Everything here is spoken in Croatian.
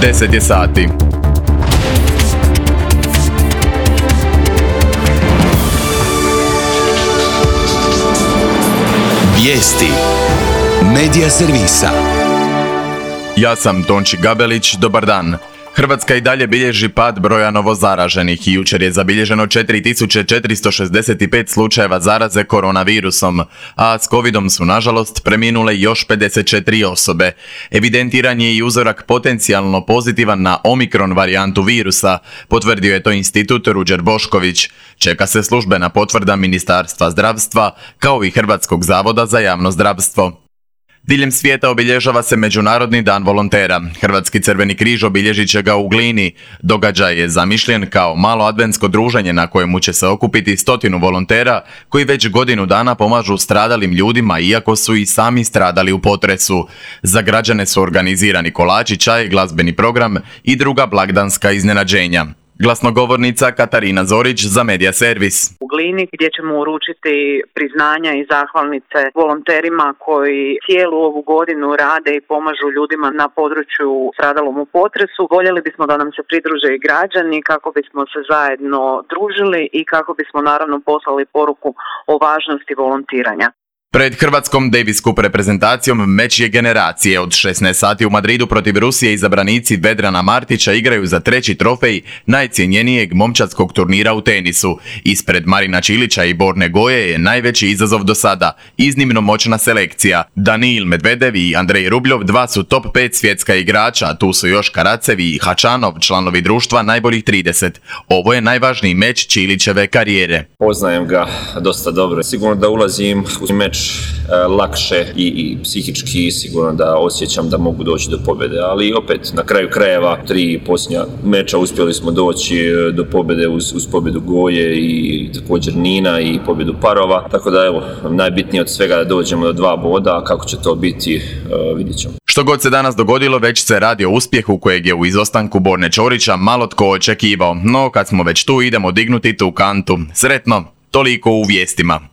10 je sati. Vijesti Medija servisa. Ja sam Tonči Gabelić, dobar dan. Hrvatska i dalje bilježi pad broja novozaraženih i jučer je zabilježeno 4465 slučajeva zaraze koronavirusom, a s covidom su nažalost preminule još 54 osobe. Evidentiran je i uzorak potencijalno pozitivan na omikron varijantu virusa, potvrdio je to institut Ruđer Bošković. Čeka se službena potvrda Ministarstva zdravstva kao i Hrvatskog zavoda za javno zdravstvo. Diljem svijeta obilježava se Međunarodni dan volontera. Hrvatski Crveni križ obilježit će ga u Glini. Događaj je zamišljen kao malo adventsko druženje na kojemu će se okupiti 100 volontera koji već godinu dana pomažu stradalim ljudima iako su i sami stradali u potresu. Za građane su organizirani kolači, čaj, glazbeni program i druga blagdanska iznenađenja. Glasnogovornica Katarina Zorić za Medija servis. U Glini gdje ćemo uručiti priznanja i zahvalnice volonterima koji cijelu ovu godinu rade i pomažu ljudima na području stradalom u potresu. Voljeli bismo da nam se pridruže i građani kako bismo se zajedno družili i kako bismo naravno poslali poruku o važnosti volontiranja. Pred Hrvatskom Davis Cup reprezentacijom meč je generacije. Od 16 sati u Madridu protiv Rusije izabranici Vedrana Martića igraju za 3. trofej najcjenjenijeg momčadskog turnira u tenisu. Ispred Marina Čilića i Borne Goje je najveći izazov do sada. Iznimno moćna selekcija. Danil Medvedev i Andrej Rubljov dva su top 5 svjetska igrača, tu su još Karacevi i Hačanov, članovi društva najboljih 30. Ovo je najvažniji meč Čilićeve karijere. Poznajem ga dosta dobro. Sigurno da ulazim u meč lakše i psihički sigurno da osjećam da mogu doći do pobjede, ali opet na kraju krajeva 3 posljednja meča uspjeli smo doći do pobjede uz pobjedu Goje i također Nina i pobjedu parova, tako da evo, najbitnije od svega da dođemo do 2 boda, a kako će to biti vidjet ćemo. Što god se danas dogodilo, već se radi o uspjehu kojeg je u izostanku Borne Ćorića malo tko očekivao, no kad smo već tu idemo dignuti tu kantu. Sretno, toliko u vijestima.